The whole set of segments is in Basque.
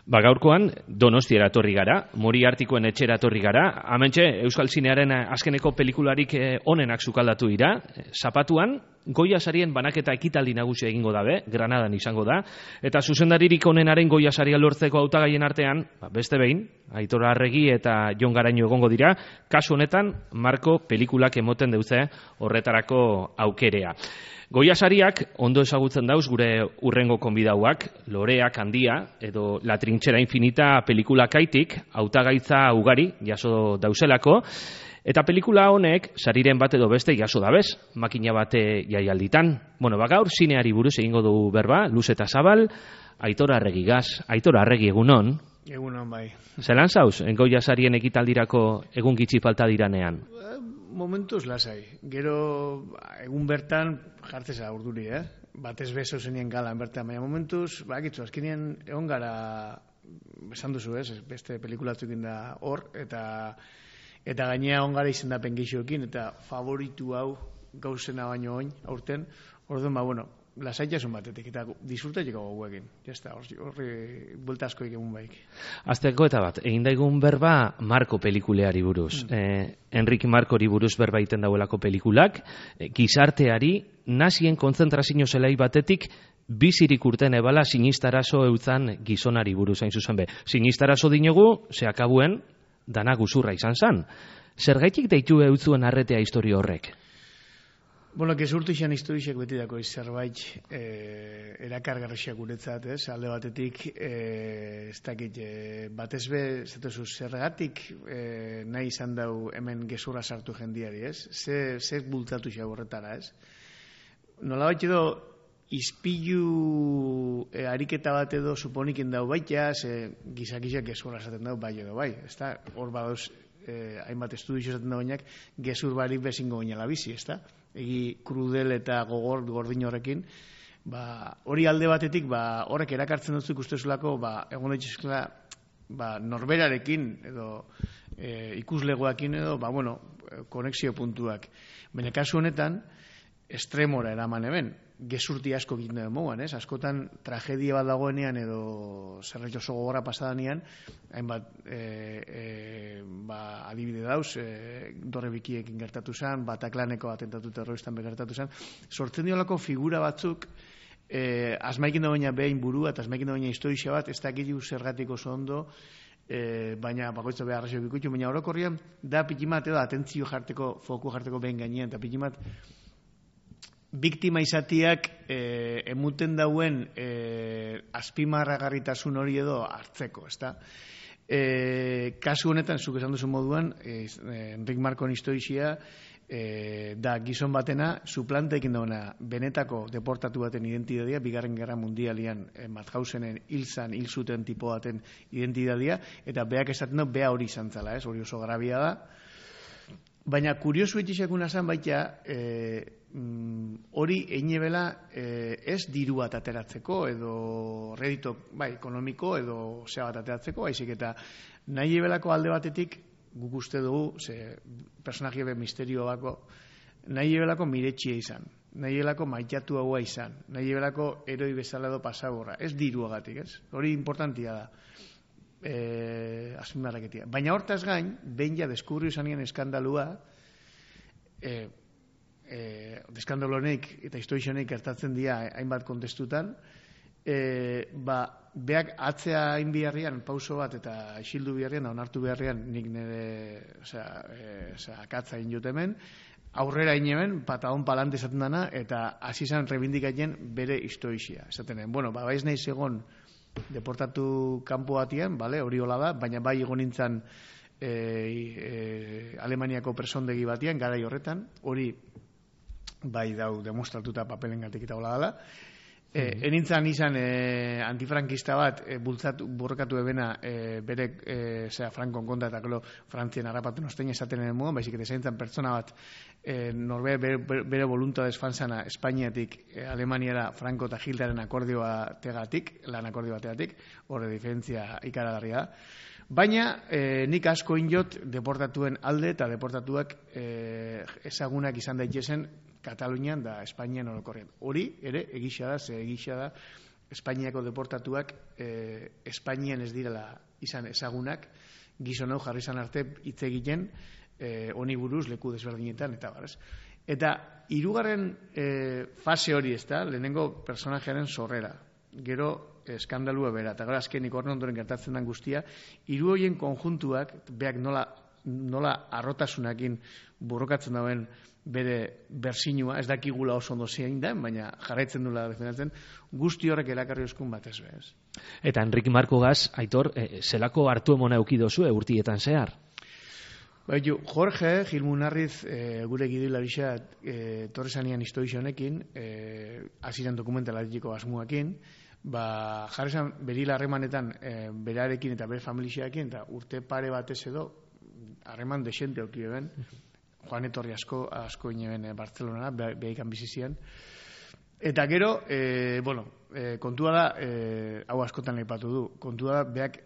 Gaurkoan Donostiara etorri gara, Moriartikoen etxera etorri gara. Hementxe Euskal Zinearen azkeneko pelikularik onenak sukaldatu dira. Zapatuan Goya sarien banaketa ekitaldi nagusia egingo dabe, Granadan izango da, eta zuzendaririk onenaren Goya saria lortzeko hautagaien artean, beste behin, Aitor Arregi eta Jon Garaño egongo dira, kasu honetan Marko pelikulak emoten deutze horretarako aukerea. Goya sariak ondo ezagutzen dauz gure urrengo konbidauak, Loreak handia edo La trinchera infinita pelikulakaitik hautagaitza ugari jaso dauzelako, eta pelikula honek sariren bat edo beste jaso dabez, makina bate jaialditan. Gaur zineari buruz egingo dugu berba, luz eta zabal, Aitor Arregigaz. Aitor Arregi, egunon? Egunon, bai. Zelan zauz, Goya sarien ekitaldirako egun gitxi falta diranean? Momentuz lasai. Gero egun bertan jartzeza urduri, Batez bezo zenien galan bertan, baina momentuz, bakitzu, azkenean egon gara, esan duzu, beste pelikulatzukin da hor, eta gainea egon gara izendapen gehiokin, eta favoritu hau gauzena baino oin, aurten, orduan, lasaitasun batetik, eta disfrutatzeko goguekin. Jazta, horri buelta asko egun baik. Azteko eta bat, egin daigun berba Marko pelikuleari buruz. Enrique Markori buruz berba iten dauelako pelikulak, gizarteari nazien konzentrazio zelai batetik bizirik urten ebala sinistarazo eutzan gizonari buruz hain zuzen be. Sinistarazo dinogu, zeakabuen, dana guzurra izan zan. Zergaitik deitu eutzuen arretea historio horrek? Gezurtu izan historiak beti dako zerbait erakargarriak guretzat, alde batetik, ez dakit, batez be, zergatik nahi izan dau hemen gezurra sartu jendiari, zer bultzatu izan horretara, Nola bat edo, izpilu ariketa bat edo suponikin dau baita, gizakizak gezurra esaten dau bai edo bai, hor badauz, hainbat estudio esaten dauenak, gezur barik bezingo gainala bizi, egi krudel eta gordin horrekin, hori alde batetik, horrek erakartzen dut ikustezulako, egon daitezkela, norberarekin, edo ikuslegoakin, edo, konexio puntuak. Baina kasu honetan, estremora eraman hemen, gezurti asko egiten den moguan, askotan tragedia bat dagoenean edo zerbait oso gogorra pasadanean, hainbat adibide dauz, Dorre Bikiekin gertatu zen, Bataclaneko atentatu terroristan gertatu zen, sortzen diolako figura batzuk, asmaikin dagoena behin burua eta asmaikin dagoena historia bat, ez dakitu zergatik oso ondo, baina bakoitza behar arrazio bikutu, baina orokorrian da pikimat edo atentzio jarteko, foku jarteko behin gainean, eta pikimat biktima izatiak emuten dauen azpimarragarritasun hori edo hartzeko, kasu honetan, zuk esan duzu moduan, Enrique Markon historia da gizon batena, suplanteekin dauna benetako deportatu baten identidadia, Bigarren Gerra Mundialian Mauthausenen hil zuten tipo baten identidadia, eta beak esaten du, bea hori izan zala, hori oso grabia da. Baina kuriosu etxisakuna zan baita, hori einebela ez diru bat ateratzeko edo redito ekonomiko edo zea bat ateratzeko, haizik eta nahi ebelako alde batetik guk uste dugu, personaje be misterio bako, nahi ebelako miretxia izan, nahi ebelako maitatu haua izan, nahi ebelako eroi bezala edo pasaborra, ez diruagatik, hori importantia da. Azpimarraketia. Baina hortaz gain, behin ja deskubrio zanien eskandalua, eskandalonek eta historionek gertatzen dira hainbat kontestutan, beak atzea hain biharrian, pauso bat eta isildu biharrian, onartu biharrian, nik nire akatza injut hemen, aurrera inemen, patadon palante esaten dana, eta hasi izan rebindikatzen bere historia. Esaten baiz nahi segon deportatu kanpo batian, hori hola da, baina bai egon nintzen Alemaniako presondegi batian, garai horretan, hori bai dau demostratuta papelengatik eta hola dela. Enintzan izan antifrankista bat borrokatu ebena bere Frankon kontra eta Frantzien harrapatu nostein esaten den moduan, baizik eta zaintzen pertsona bat bere voluntadez fanzana Espainiatik Alemaniara Franco eta Hitlerren akordioa tegatik, lan akordio bategatik, horre diferentzia ikaragarria da. Baina nik asko injot deportatuen alde eta deportatuak ezagunak izan daitezen Katalunian da Espainian orokorrean. Hori ere egisa da, Espainiako deportatuak Espainian ez direla izan ezagunak, gizon hau jarri izan arte hitz egiten honi buruz leku desberdinetan eta bar, ez? Eta hirugarren fase hori, ezta, lehenengo personajearen sorrera. Gero eskandalua bera, eta gara azkenik horren ondoren gertatzen den guztia, hiru horien konjuntuak, beak nola arrotasunakin borrokatzen dauen bere bersinua, ez dakigula oso ondo zein da, baina jarraitzen dula defendatzen, guzti horrek erakarri oskun batez bez. Eta Enrique Markogaz, Aitor, zelako hartu emona eukidozu urtietan zehar? Baitu, Jorge Gilmunarriz gure gidoilarisa torrezanian historia honekin, hasieran dokumentalarekiko asmoakin, jarri zen berila harremanetan berarekin eta bere familiarekin, eta urte pare batez edo harreman desente auki ben, Juan etorri asko ineben Bartzelonara, behaikan bizizian. Eta gero, kontua da, hau askotan leipatu du, kontua da, beak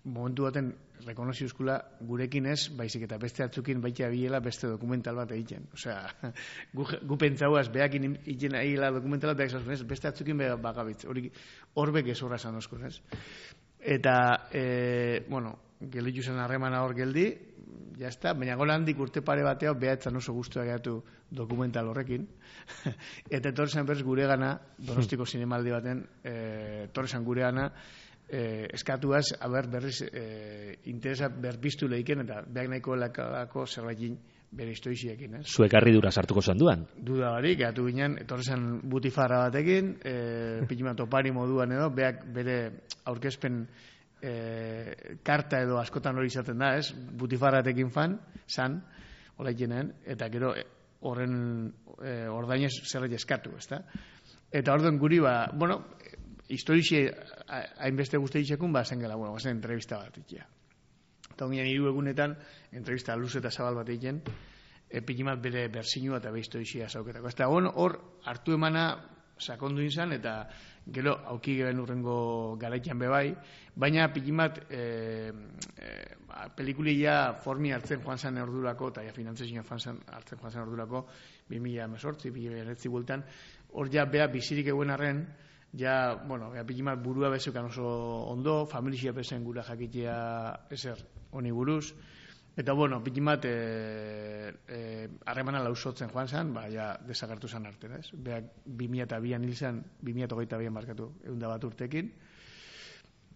momentu baten rekonoziuzkula gurekin ez, baizik eta beste atzukin baita bilela beste dokumental bat egiten. Osea, gu pentsauaz, beakin egiten egila dokumental bat, beste atzukin bagabitz, horbek ez horra esan oskun, ez? Eta, gelditu zen harremana hor geldi, jazta, baina gola handik urte pare batean behatzen oso guztua gehatu dokumental horrekin. Eta etorrezan berz gure gana, Donostiko zinemaldi baten, etorrezan gure gana, eskatuaz, berriz interesa berpiztu lehiken, eta behak nahiko lakako zerbaitin bere historiziekin. Zuek harridura sartuko zanduan? Duda barik, gehatu ginen, etorrezan butifarra batekin, pikima topari moduan edo, behak bere aurkezpen karta edo askotan hori izaten da, ez? Butifarratekin zan, hola ikenen, eta gero horren ordainez zerbait eskatu, ezta? Eta orduan guri, historixe hainbeste guzti ditxekun, zen gela, zen entrevista bat ikia. Eta ongien 3 egunetan, entrevista luze eta zabal bat egiten, pikimat bere bersinua eta be historixea zauketako. Eta hor hartu emana sakondu izan, eta gero auki geben urrengo garaikian bebai, baina pikimat pelikulia formi hartzen joan zen ordurako, eta finantzezioa hartzen joan zen ordurako, 2018, 2019 bultan, hor ja bea bizirik eguen arren, ja, pikimat burua bezukan oso ondo, familia bezen gura jakitea ezer honi buruz, eta pikimat harremana lausotzen joan zen, ja desagertu zen arte, ez? Beak 2002an hil zen, 2022an markatu 101 urtekin.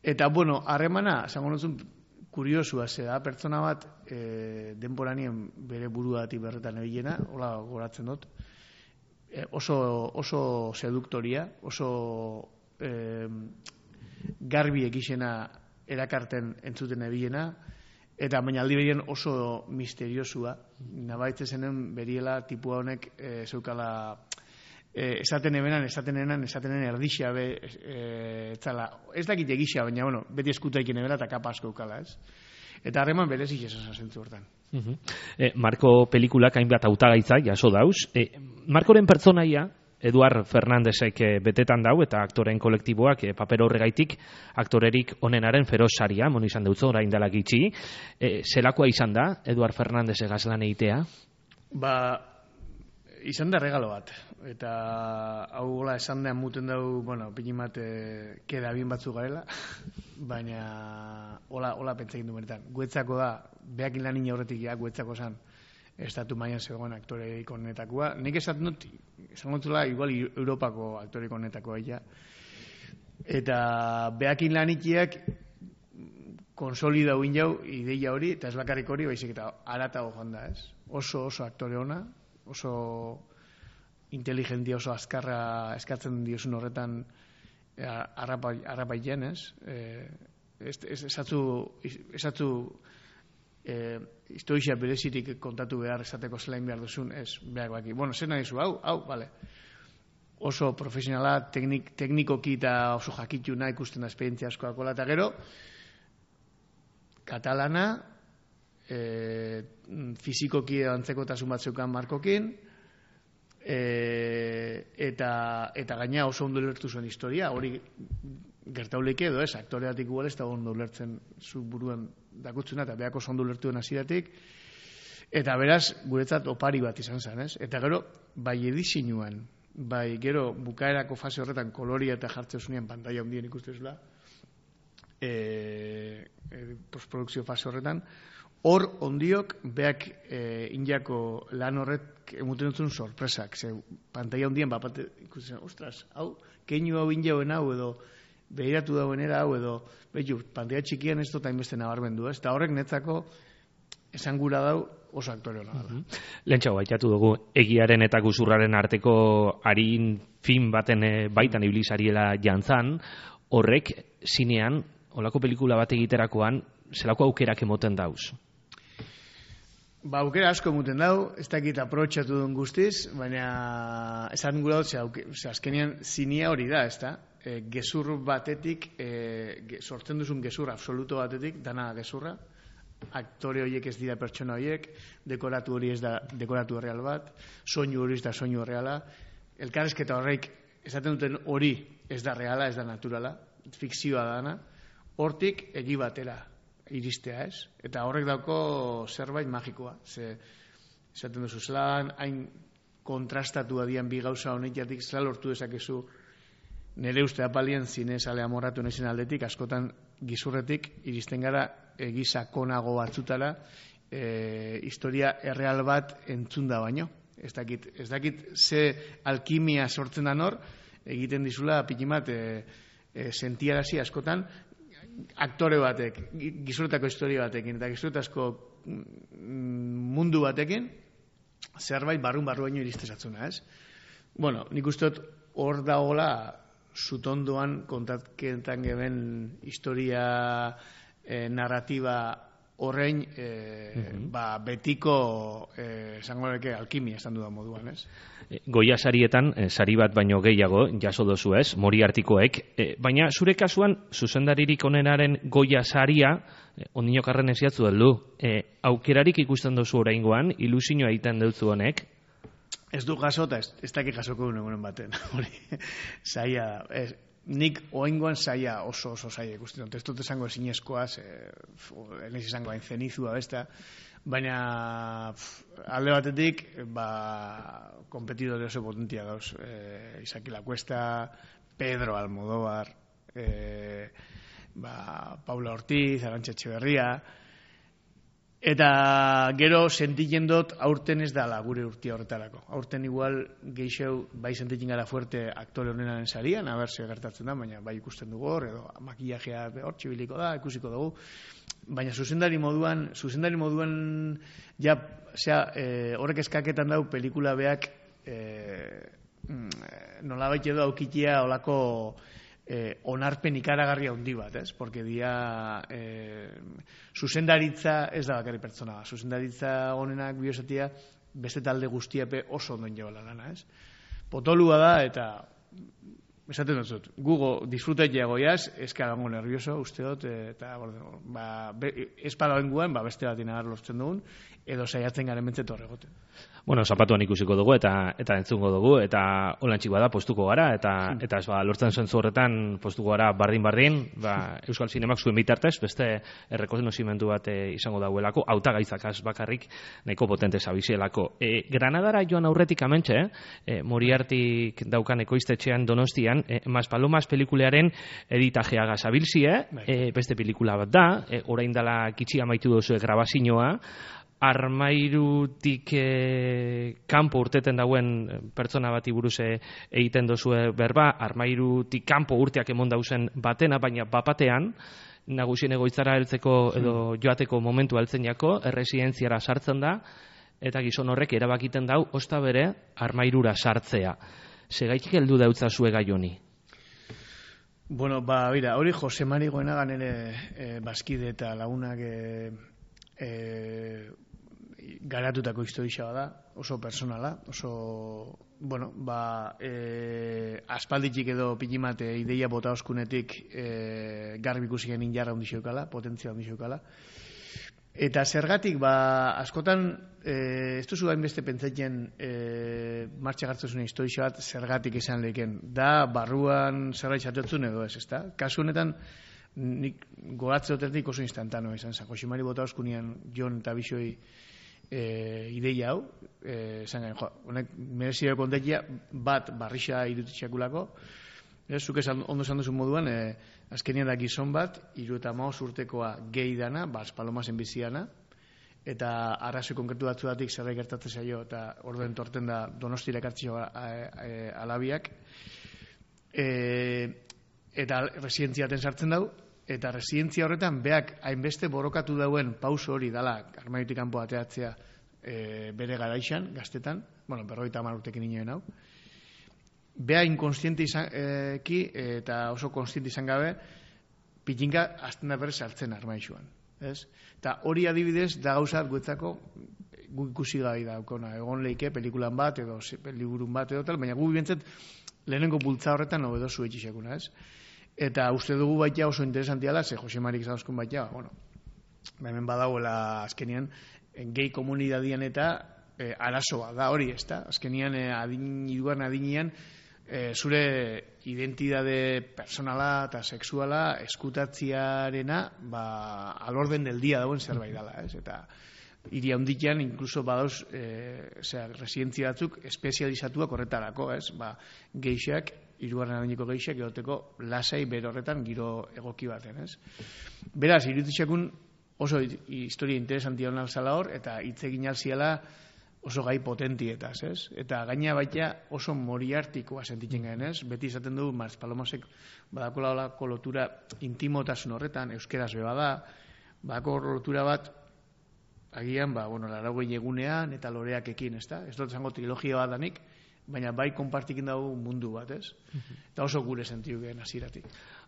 Eta, harremana, zango notzun, kuriosua zeda, pertsona bat denboranien bere buruati berretan ebilena, hola goratzen dut, oso seduktoria, oso garbi ekixena erakarten entzuten ebilena, eta baina aldi berien oso misteriosua, nabaitze zenen beriela tipua honek zeukala esaten erdixa be, ez dakit egisa, baina beti eskutaikin ebera eta kapa asko eukala, ez? Eta harreman berezik esan zentzu hortan. Marko pelikulak hainbat hautagaitza jaso dauz. Markoren pertsonaia, Eduard Fernandezek betetan dau, eta aktoren kolektiboak paper horregaitik aktorerik onenaren feroz saria, mon izan dutzo, orain dela gitxi. Zelakoa izan da, Eduard Fernandezek azlan egitea? Izan da regalo bat. Eta hau esan da muten dau, pikimat keda bien batzu garela, baina hola pentsakin du benetan. Guetzako da, behakin lan horretik guetzako zan, estatu mailan zegoen aktoreik honetakoa. Nik esaten dut, esan gontzula, igual Europako aktoreik honetakoa ja. Eta behakin lan ikiak konsolida uin jau, ideia hori, eta ez bakarrik hori, baizik eta aratago joan da, ez? Oso aktore ona, oso inteligentia, oso azkarra eskatzen diozun horretan arrapaiten, ez? Esatzu historia berezirik kontatu behar esateko zelain behar duzun, ez, behar baki. Zer nahi zu, hau, bale. Oso profesionala, teknikoki eta oso jakituna ikusten da esperientzia askoakola, eta gero, katalana, fizikoki antzekotasun bat zeukan Markokin, eta gaina oso ondo lertu zuen historia, hori gertauleik edo ez, aktoreatik igual ez da ondo lertzen zu buruen dakutzuna, eta behako oso ondo lertuen hasieratik, eta beraz, guretzat opari bat izan zen, ez? Eta gero, bai edizinuan, bai, gero, bukaerako fase horretan koloria eta jartzen zunean pantalla handien ikustezula, postprodukzio fase horretan, hor ondiok beak injako lan horret emuten dutzen sorpresak, ze pantalla handien bapate ikusten, ostras, hau, keinu hau injauen hau edo behiratu dauenera hau edo, behitu, pantalla txikian ez dut hainbeste nabarmendu, ez? Eta horrek netzako esangura dau oso aktore hona da. Lehentxau, baitatu dugu, egiaren eta guzurraren arteko harin film baten baitan ibilizariela jantzan, horrek zinean, olako pelikula bat egiterakoan, zelako aukerak emoten dauz? Ba, aukera asko emoten dau, ez dakit aprobetxatu duen guztiz, baina esan gura dut, azkenean zinea hori da, ez da? Gezur batetik, sortzen duzun gezur absoluto batetik, dana gezurra, aktore horiek ez dira pertsona horiek, dekoratu hori ez da dekoratu real bat, soinu hori ez da soinu reala, elkarrezketa horreik esaten duten hori ez da reala, ez da naturala, fikzioa dana, hortik egi batera iristea, ez? Eta horrek dauko zerbait magikoa, ze esaten duzu zelan, hain kontrastatu adian bi gauza honetatik zela lortu dezakezu nire uste apalien zinezale amorratu nezen aldetik, askotan gizurretik iristen gara egizakonago batzutara historia erreal bat entzunda baino. Ez dakit ze alkimia sortzen da nor, egiten dizula pikimat sentiarazi askotan aktore batek, gizurretako historia batekin, eta gizurretazko mundu batekin, zerbait barrun baino iristezatzuna, ez? Bueno, nik uste dut hor dagoela zutondoan kontatketan geben historia narratiba horrein betiko esango leke alkimia esan dudan moduan, ez? Goia sarietan, sari bat baino gehiago jaso dozu, ez? Moriartikoek, baina zure kasuan zuzendaririk onenaren Goia saria ondinok arren eziatzu heldu. Aukerarik ikusten dozu oraingoan, ilusioa egiten duzu honek? Ez du jaso eta ez dakik jasoko duen egunen baten. Zaila, nik oengoan zaila oso zaila ikusten dut. Ez dut esango ezinezkoaz, ez izango hain zenizua besta, baina alde batetik, kompetidore oso potentia dauz. Isaki Lacuesta, Pedro Almodóvar, Paula Ortiz, Arantxa Etxeberria, eta gero sentitzen dut aurten ez dala gure urtia horretarako. Aurten igual geixeu bai sentitzen gara fuerte aktore honenaren sarian, aber ze gertatzen da, baina bai ikusten dugu hor, edo makillajea hor txibiliko da, ikusiko dugu. Baina zuzendari moduan ja, horrek eskaketan dau pelikula beak nolabait edo aukitia olako onarpen ikaragarria handi bat, ez? Porque dia zuzendaritza ez da bakarri pertsona, zuzendaritza honenak biosatia beste talde guztiape oso ondoen jebala lana, ez? Potolua da eta esaten dut, gugo disfrutetia goiaz, eska gango nervioso, uste dut, eta espada bengoen, beste bat inagar lortzen dugun, edo saiatzen garen bentzet horregoten. Bueno, zapatuan ikusiko dugu eta entzungo dugu, eta holantxik bada postuko gara, eta ez lortzen zentzu horretan postuko gara bardin, Euskal Zinemak zuen bitartez, beste errekonozimendu bat izango dauelako, hautagaitzakaz bakarrik nahiko potente zabizielako. Granadara joan aurretik amentxe, Moriartik daukan ekoiztetxean Donostian, Maspalomas pelikulearen editajeaga zabilzie, beste pelikula bat da, orain dela kitxi amaitu duzue grabazioa, armairutik kanpo urteten dauen pertsona bati buruz egiten dozue berba, armairutik kanpo urteak emon dauzen batena, baina bapatean, nagusien egoitzara heltzeko edo joateko momentu heltzen jako, erresidentziara sartzen da, eta gizon horrek erabakiten dau, osta bere, armairura sartzea. Segaitik heldu dautza zue gai honi? Bueno, bera, hori Jose Mari Goenagan ere bazkide eta lagunak garatutako historia da, oso personala, oso, bueno, aspalditik edo pikimate ideia bota oskunetik garbi ikusi genin jarra ondixeukala, potentzia ondixeukala. Eta zergatik, askotan, ez duzu hainbeste pentsatzen martxa gartzuzune historia bat zergatik izan leken. Da, barruan zerbait xatotzun edo ez, ezta? Kasu honetan, nik gogatze dutetik oso instantano izan zen. Josimari bota oskunean Jon eta Bixoi ideia hau, esan gain, honek merezio kontekia bat barrixa irutitxakulako, zuk ondo esan duzu moduan, azkenean da gizon bat, 35 urtekoa gehi dana, Bas Palomasen biziana, eta arrazoi konkretu batzuetatik zerbait gertatzen zaio, eta orduen torten da Donostira ekartzio alabiak, eta residentziaten sartzen dau, eta residentzia horretan beak hainbeste borrokatu dauen pauso hori dala armaiotik kanpo ateatzea bere garaixan, gaztetan, 50 urtekin inoen hau, bea inkonstiente izanki eta oso konstiente izan gabe pitinka azten da berrez sartzen armaixuan. Eta hori adibidez da gauzat guetzako guk ikusi gai daukona, egon leike pelikulan bat edo liburun bat edo tal, baina guk bintzat lehenengo bultza horretan nobedosu etxixekuna, eta uste dugu baita oso interesantiala, ze Jose Marik Zauzkun baita, hemen badauela azkenian gehi komunidadian eta arazoa da hori, azkenian irugarren adinean zure identidade personala eta sexuala eskutatziarena alorden del dia dauen zerbait dela, eta hiri handian inkluso badauz residentzia batzuk espezializatuak horretarako, geixak, hirugarren adineko geixak egoteko lasai bere horretan giro egoki baten, Beraz, iruditxakun oso historia interesantia hona alzala hor, eta hitz egin alziala oso gai potentietaz, Eta gaina baita oso moriartikoa sentitzen gain, Beti izaten du Bas Palomosek badakola olako lotura intimotasun horretan, euskeraz beba da, badako lotura bat agian, laragoi egunean eta loreak ekin, ez dut zango trilogia bat danik, baina bai konpartikin dago mundu bat, Eta oso gure sentiu gen hasieratik.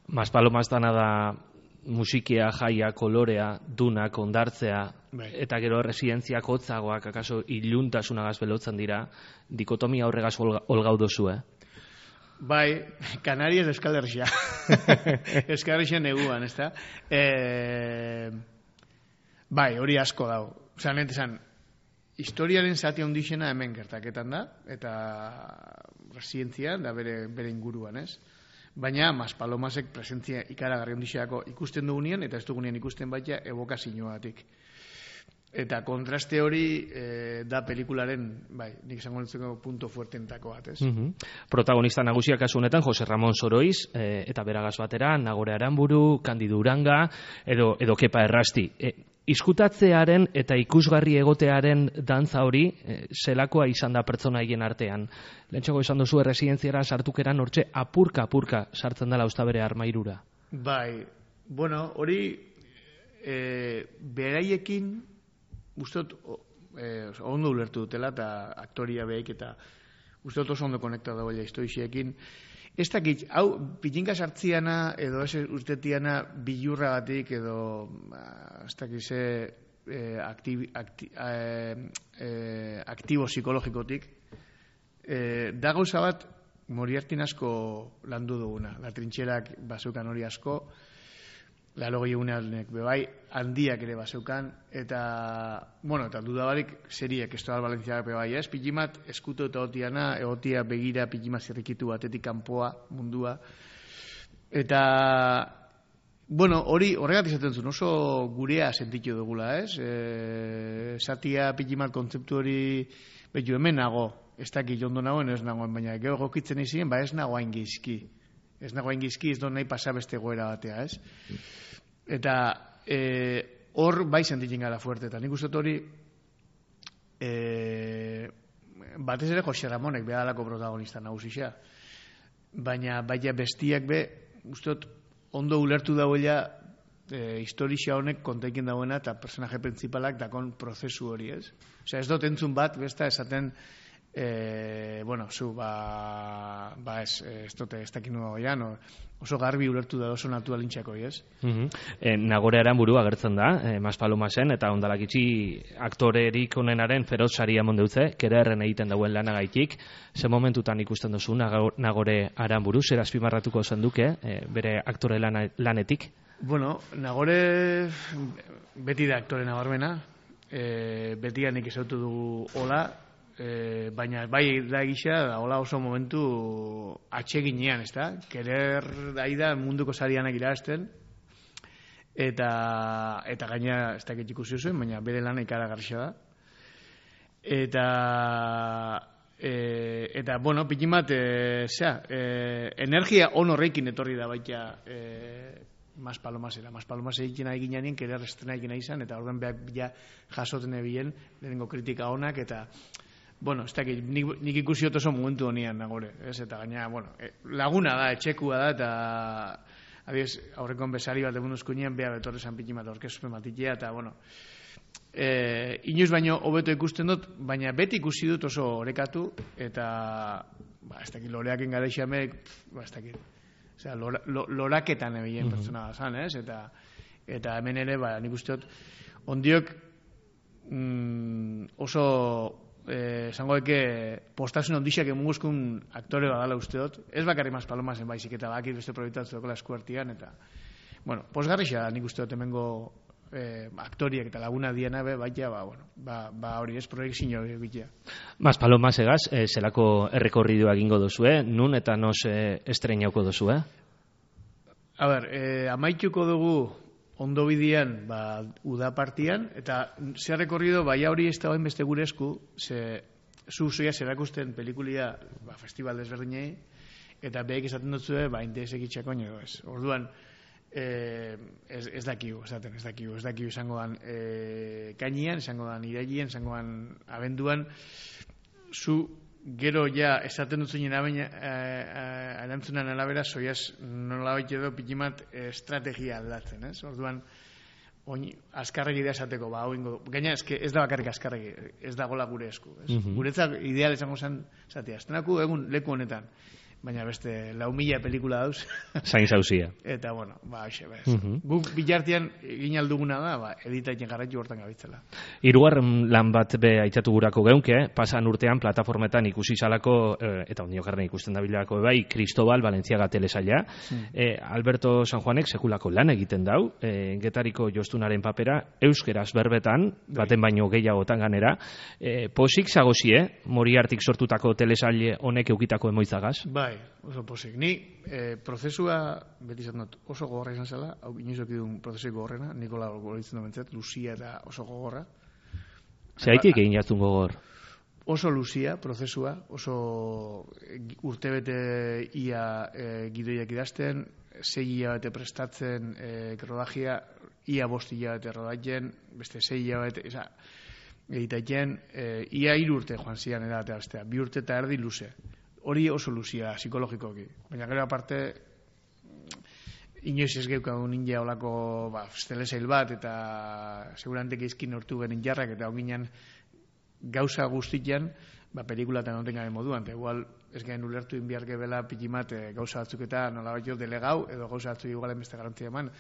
Bas Palomas dana da musikia, jaia, kolorea, dunak, ondartzea, eta gero residentziak hotzagoak, akaso iluntasunagaz belotzen dira, dikotomia horregaz olgau dozu, Bai, Canarias Euskal Herria. Euskal Herria neguan, ez da? Bai, hori asko dago. Osa, nentesan, historiaren zati ondixena hemen gertaketan da, eta residentzia da bere inguruan, ez? Baina Bas Palomasek presentzia ikaragarri ondixeako ikusten dugunean, eta ez dugunean ikusten baita evokazioatik. Eta kontraste hori da pelikularen, nik esango nintzeko punto fuertentako bat, ez? Protagonista nagusiak kasu honetan Jose Ramon Soroiz, eta beragaz batera, Nagore Aranburu, Kandidu Uranga, edo Kepa Errasti. Izkutatzearen eta ikusgarri egotearen dantza hori zelakoa izan da pertsona hien artean. Lehentxako esan duzu erresidentziara sartukeran hortxe apurka sartzen dela ustabere armairura. Bai, hori beraiekin ustot ondo ulertu dutela eta aktoria behik eta ustot oso ondo konekta dagoela historixeekin. Ez dakit, hau, pitinka sartziana edo ez urtetiana bilurra batik edo ez dakit ze aktibo psikologikotik da gauza bat Moriartin asko landu duguna. La trintxerak bazeukan hori asko, Larogei eguneanek bebai, handiak ere bazeukan, eta dudabarik seriek Estobal Valentziak bebai, Pikimat eskuto eta egotia begira Pikimat zirrikitu batetik kanpoa mundua. Eta, hori horregatik izaten zuen, oso gurea sentitu dugula, Satia Pikimat kontzeptu hori, betu hemen nago, ez dakit ondo nagoen, ez nagoen, baina gero gokitzen izien, ez nagoain gizki. Ez nagoain gizki, ez do nahi pasabeste goera batea, Eta hor bai sentitzen gara fuerte, eta nik uste hori batez ere Jose Ramonek behadalako protagonista nagusisa. Baina baina bestiak uste ondo ulertu dauela historia honek kontaiken dauena eta personaje principalak dakon prozesu hori, ez? Osea, ez dut entzun bat, besta esaten zu, ez dute, ez dakin nuago oso garbi ulertu da oso naturalintxako, ez? Nagore Aranburu agertzen da, Bas Palomasen, eta ondalakitzi aktorerik onenaren feroz saria mondeutze, kererren egiten dauen lanagaitik. Ze momentutan ikusten duzu Nagore Aranburu, zer azpimarratuko zenduke, bere aktore lanetik? Nagore beti da aktore nabarmena, beti nik ezautu dugu hola, baina bai da gisa hola oso momentu atseginean, ez da? Kerer da munduko sarianak irabazten eta gaina ez dakit ikusi zuen, baina bere lana ikaragarria da. Eta bueno, pikin bat, energia on horrekin etorri da baita Mas Palomasera. Mas Palomase egiten ari ginean, kerer estrena egin izan, eta orduan behar bila jasoten ebilen, lehenengo kritika onak, eta bueno, ez dakit, nik ikusi oso momentu honean nagore, ez? Eta gaina, bueno, laguna da, etxekua da, eta adiez, aurrekon bezari bat egun uzkunean, beha betorre zan pikin bat orkespen matitea, eta bueno, inoiz baino hobeto ikusten dut, baina beti ikusi dut oso orekatu, eta ez dakit, loreaken gara isamek, ez dakit, osea, loraketan ebilen pertsona da zan, ez? Eta hemen ere, nik uste dut, ondiok oso esango eke postasun ondixak emunguzkun aktore badala uste dut, ez bakarri Mas Palomasen baizik, eta bakit beste proiektatzen dokola eskuartian, eta bueno, posgarrixa nik uste dut hemengo aktoriak eta laguna diena baita, hori ez proiektzio egitea. Mas Palomasegaz, zelako errekorridua egingo dozue, nun eta nos estreinauko dozue? A ber, amaituko dugu ondo bidean, uda partian, eta zer rekorrido, hori ez da beste gure esku, zuia zerakusten pelikulia festival desberdinei, eta behek esaten dutzue, interesek itxako nio ez. Orduan, ez dakigu izango dan kainian, izango dan irailien, izango dan abenduan, zu gero ja esaten dutzen erantzunan alabera, zoiaz nola baita edo pikimat estrategia aldatzen, ez? Orduan, azkarregi idea esateko, gaina ez da bakarrik azkarregi, ez da gola gure esku, ez? Guretzak ideal izango zen, zatea, estenako egun leku honetan, baina beste 4.000 pelikula dauz. Zain zauzia. Eta, bueno, hoxe, guk bilartian egin alduguna da, editaiten garraitu hortan gabitzela. Hirugarren lan bat be aitzatu gurako geunke, pasan urtean plataformetan ikusi zalako, eta ondiokarren ikusten dabilako bai, Cristobal Valenciaga telesaila. Alberto San Juanek sekulako lan egiten dau, Getariko jostunaren papera, euskeraz berbetan, baten baino gehiagotan ganera. Posik zagozie, Moriartik sortutako telesaile honek eukitako emoitzagaz? Bai, oso posik. Ni prozesua, beti izan dut, oso gogorra izan zela, hau inoizok idun prozesuik gogorrena, Nikola gogoritzen du bentzat, Luzia eta oso gogorra. Zeraitik egin jartun gogor? Oso luzia, prozesua, oso urtebete ia gidoiak idazten, 6 hilabete prestatzen rodajia, ia 5 hilabete rodatzen, beste 6 hilabete, egitaiten, ia 3 urte joan zian edatea bestea, 2 urte eta erdi luze. Hori oso luzia, psikologikoki. Baina gero aparte, inoiz ez geukagun ninja olako telesail bat, eta segurantek izkin hortu genin jarrak, eta onginan gauza guztian, pelikula eta noten gabe moduan, eta igual ez gain ulertu inbiarke bela pikimat gauza batzuk eta nola baito delegau, edo gauza batzuk igualen beste garantzia eman.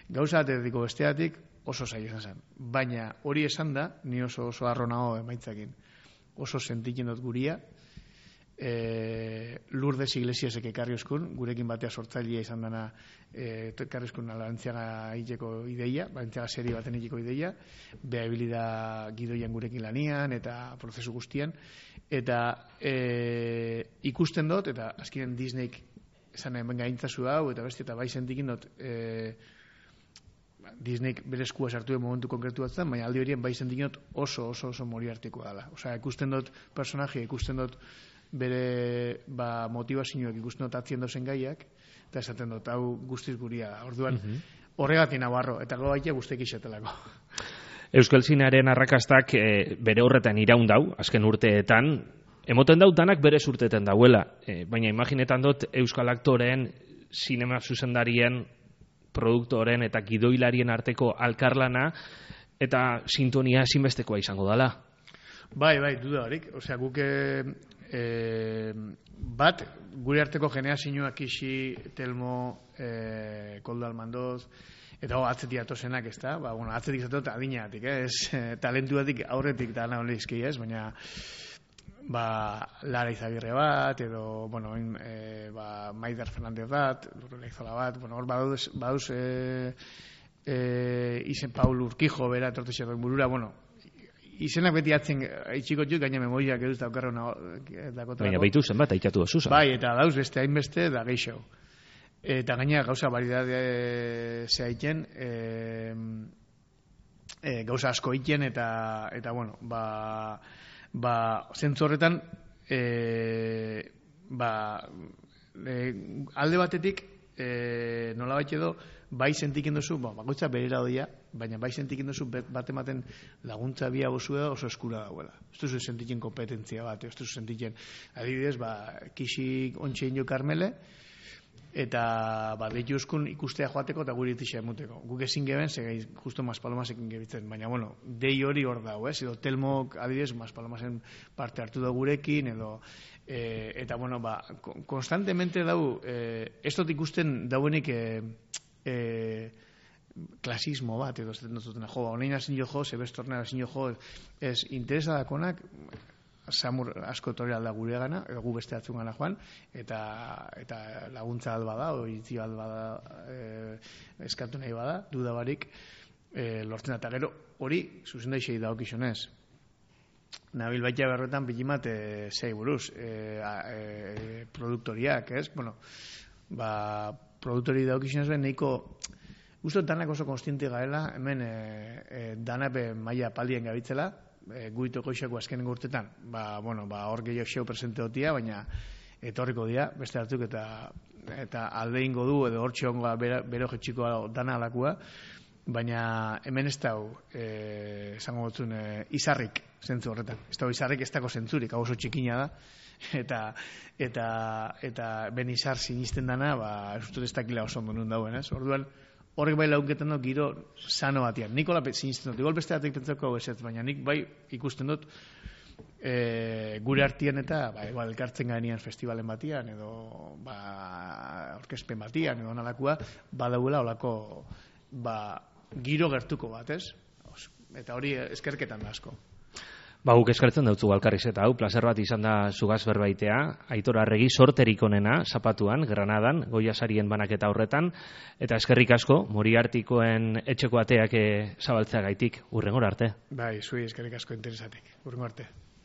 Gauza bat ediko besteatik oso zaila izan zen. Baina hori esan da, ni oso arro nago emaitzakin. Oso sentiken dut guria, Lourdes Iglesiasek ekarri oskun, gurekin batea sortzailea izan dana ekarri oskun Valentziaga hiteko ideia, Valentziaga serie baten hiteko ideia, beha ebilida gidoian gurekin lanian eta prozesu guztian, eta ikusten dut, eta azkinen Disneyk esan benga intzazu hau, eta beste, eta bai sentikin dut Disneyk bere eskua sartu den momentu konkretu bat zen, baina aldi horien bai sentikin dut oso Moriartikoa dela. Osea, ikusten dut personaje, ikusten dut bere motivazioak ikusten dut atzien dozen gaiak, eta esaten dut, hau guztiz guria da. Orduan, horregatik nabarro, eta gau baitea guztiek isetelako. Euskal Zinearen arrakastak bere horretan iraundau, azken urteetan, emoten dau danak bere urteetan dauela, baina imaginetan dut Euskal aktoreen, sinema zuzendarien, produktoren eta gidoilarien arteko alkarlana, eta sintonia ezinbestekoa izango dela. Bai, duda horik. Osea, guk bat, gure arteko generazioak isi, Telmo, Koldo Almandoz, eta atzetik atozenak, ez da? Atzetik zatot adinatik, talentuatik aurretik da nahi izkei, ez? Baina, Lara Izagirre bat, edo, Maider Fernandez bat, Lurrela Izola bat, hor baduz izen Paul Urquijo, bera, tortexeroen burura, izenak beti atzen itxiko txuk, gaina memoriak eduz daukarro dakotarako. Baina baitu zenbat, aitatu dozuzan. Bai, eta dauz beste hainbeste da geixo. Eta gaina gauza baridade zehaiten, gauza asko iten, eta zentzu horretan, alde batetik, nolabait edo, bai sentiken duzu, bakoitza berera doia, baina bai sentiken duzu bat ematen laguntza bia bozua oso eskura dauela. Ez duzu sentiken kompetentzia bat, ez duzu sentiken, adibidez, kisik ontxe ino karmele, eta deitu euskun ikustea joateko eta guri itixa emuteko. Guk ezin geben, segai justo Maspalomasekin gebitzen, baina, bueno, dei hori hor dago, edo Telmok, adibidez, Maspalomasen parte hartu da gurekin, edo, eta, bueno, konstantemente dau, ez dut ikusten dauenik klasismo bat, edo zaten dutena, honein hazin jo, sebestornea hazin jo, ez interesadakonak, samur asko etorri alda gure gana, edo gu beste atzun gana joan, eta laguntza alba da, oitzi alba da, eskatu nahi bada, dudabarik, lortzen eta gero, hori, zuzen da isei daokizunez. Nabil baita berretan bilimat zei buruz, produktoriak, ez? Bueno, produktori daokizunez ben, nahiko, uste danak oso konstiente gaela, hemen danape maila paldien gabitzela, guitoko isako azkenen urtetan, hor gehiago xeu presente dotia, baina etorriko dira, beste hartuk eta alde ingo du, edo hor txongoa bero jetxiko dana alakua, baina hemen ez dau, esango gotzun, izarrik zentzu horretan. Ez dau izarrik ez dago zentzurik, hau oso txikina da, eta ben izar sinisten dana, ez dut ez dakila oso ondo nun dauen, ez? Orduan, horrek bai lagunketan dut giro sano batian. Nik hola sinisten dut, igual beste batek pentsako esetz, baina nik bai ikusten dut gure artian eta elkartzen gainian festivalen batian, edo orkespen batian, edo nalakua, badauela olako giro gertuko bat, ez? Eta hori eskerketan da asko. Guk eskertzen dautzu Alkarriz eta hau, plazer bat izan da zugaz berbaitea, Aitor Arregi sorterik onena, Zapatuan, Granadan, Goia sarien banaketa horretan, eta eskerrik asko, Moriartikoen etxeko ateak zabaltzea gaitik, hurrengora arte. Zui eskerrik asko interesatik, hurrengo arte.